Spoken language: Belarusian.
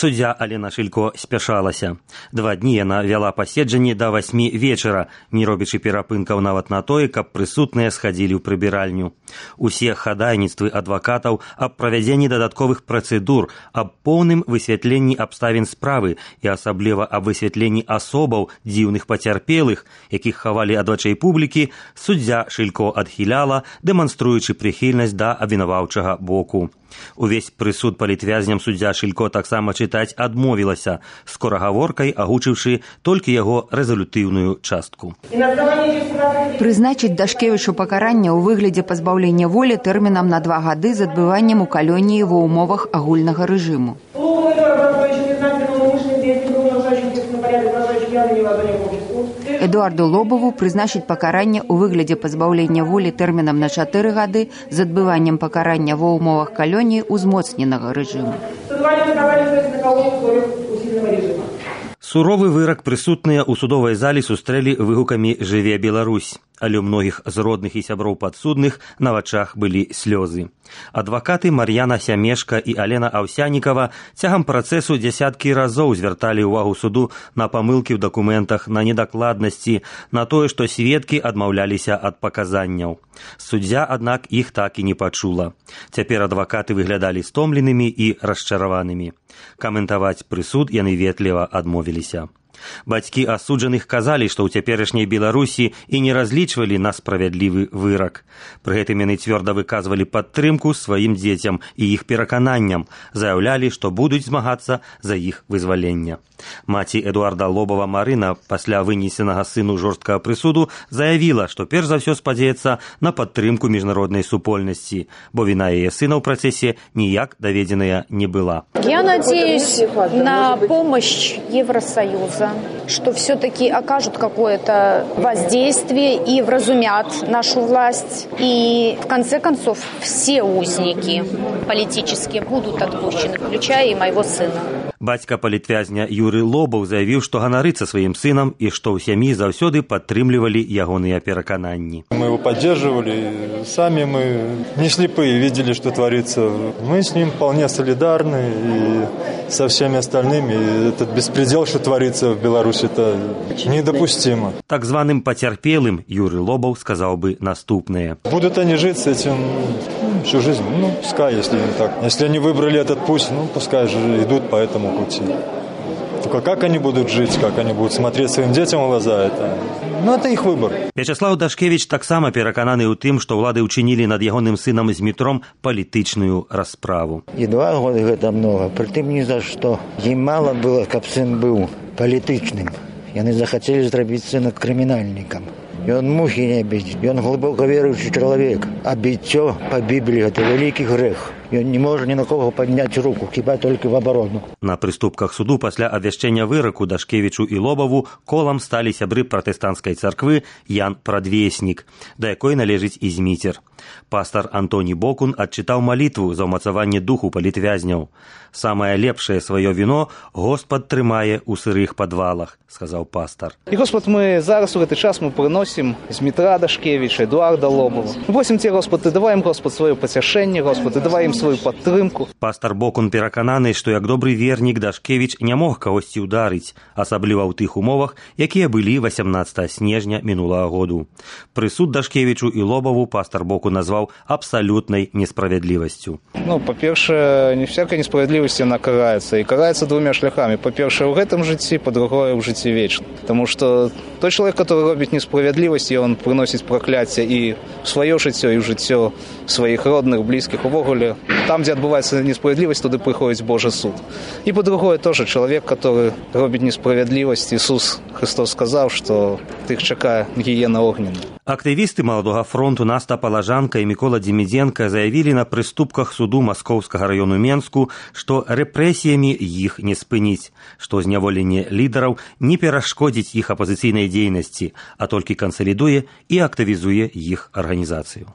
Суддзя Алена Шилько спяшалася. 2 дні яна вяла паседжанні да 8 вечара, не робячы перапынкаў нават на тое, каб прысутныя схадзілі ў прыбіральню. Усе хадайніцтвы адвакатаў аб правядзенні дадатковых працэдур, аб поўным высвятленні абставін справы і асабліва аб высвятленні асобаў дзіўных пацярпелых, якіх хавалі ад вачэй публікі, суддзя Шилько адхіляла, дэманструючы прыхільнасць да абвінаваўчага боку. Увесь прысуд палітвязням суддзя Шилько таксама чытаць адмовілася, скорагаворкай агучыўшы толькі яго рэзалютыўную частку. Прызначыць Дашкевічу пакаранне ў выглядзе пазбаўлення волі тэрмінам на 2 гады з адбываннем у калоніі ва ўмовах агульнага рэжыму. Эдуарду Лобову прызначыць пакаранне ў выглядзе пазбаўлення волі тэрмінам на 4 гады з адбываннем пакарання ва ўмовах калоніі ўзмоцненага рэжыму. Суровы вырак прысутныя ў судовай зале сустрэлі выгукамі «Жыве Беларусь», але ў многіх з родных і сяброў падсудных на вачах былі слёзы. Адвакаты Мар'яна Сямешка і Алена Аўсянікава цягам працэсу дзясяткі разоў звярталі ўвагу суду на памылкі ў дакументах, на недакладнасці, на тое, што сведкі адмаўляліся ад паказанняў. Суддзя, аднак, іх так і не пачула. Цяпер адвакаты выглядалі стомленымі і расчараванымі. Каментаваць прысуд яны ветліва адмовіліся. Бацькі асуджаных казалі, што ў цяперашняй Беларусі і не разлічвалі на справядлівы вырак. Пры гэтым яны цвёрда выказвалі падтрымку сваім дзецям і іх перакананням, заяўлялі, што будуць змагацца за іх вызвалення. Маці Эдуарда Лобова Марына пасля вынесенага сыну жорсткага прысуду заявіла, што перш за ўсё спадзяецца на падтрымку міжнароднай супольнасці, бо віна яе сына ў працэсе ніяк даведзеная не была. Я надеюсь на помощь Евросоюза, что все-таки окажут какое-то воздействие и вразумят нашу власть. И в конце концов все узники политические будут отпущены, включая и моего сына. Бацька палітвязня Юры Лобаў заявіў, што ганарыцца сваім сынам і што ў сям'і заўсёды падтрымлівалі ягоныя перакананні. Мы его поддерживали, сами мы не слепые, видели, что творится. Мы с ним вполне солидарны и со всеми остальными. И этот беспредел, что творится в Беларуси, это недопустимо. Так званым пацярпелым Юры Лобаў сказаў бы наступнае. Будут они жить с этим всю жизнь? Ну, пускай, если не так. Если они выбрали этот путь, ну, пускай же идут по этому пути. Только как они будут жить, как они будут смотреть своим детям в глаза, это их выбор. Вячеслав Дашкевич таксама перакананы ў тым, што ўлады ўчынілі над ягоным сынам Змітром палітычную расправу. І 2 годы гэта многа, прытым ні за што. Ім мала было, каб сын быў палітычным. Яны захацелі зрабіць сына крымінальнікам. Ён мухі не біць, ён глыбока веруючы чалавек. А біццё па Бібліі гэта вялікі грэх. Ён не можа ні на кого падняць руку, хіба толькі в абарону. На прыступках суду пасля абвяшчэння выраку Дашкевічу і Лобаву колам сталі сябры пратэстанцкай царквы Ян Прадвеснік, да якой належыць і Зміцер. Пастар Антоні Бокун адчытаў малітву за ўмацаванне духу палітвязняў. «Самае лепшае сваё віно Господ трымае ў сырых падвалах», сказаў пастар. І, Господ, мы зараз у гэты час мы прыносім Змітра Дашкевіча, Эдуарда Лобова. Просім Тебе, Господ, ты давай ім, Господ, сваё пацяшэнне, Господ, ты давай ім свою падтрымку. Пастар Бокун перакананы, што як добры вернік Дашкевіч не мог кагосьці ўдарыць, асабліва ў тых умовах, якія былі 18 снежня мінулага году. Прысуд Дашкевічу і Лобаву пастар Бокун назваў абсалютнай несправядлівасцю. Ну, па-першае, не всякая несправядлівасць яна караецца, і караецца 2 шляхамі. Па-першае, ў гэтым жыцці, па-другое, ў жыцці вечна. Таму што той чалавек, который робіць несправядлівасць, ён прыносіць пракляцце і ў сваё жыццё, і ў жыццё сваіх родных, блізкіх. Увогуле, там, дзе адбываецца несправядлівасць, туды прыходзіць Божы суд. І па-другое, тоже чалавек, который робіць несправядлівасць, Ісус Христос сказаў, што тых чакае гіена огненная. Актывісты Маладога фронту Наста Палажанка і Мікола Дземідзенка заявілі на прыступках суду Маскоўскага раёну Менску, што рэпрэсіямі іх не спыніць, што зняволенне лідараў не перашкодзіць іх апазіцыйнай дзейнасці, а толькі кансалідуе і актывізуе іх арганізацыю.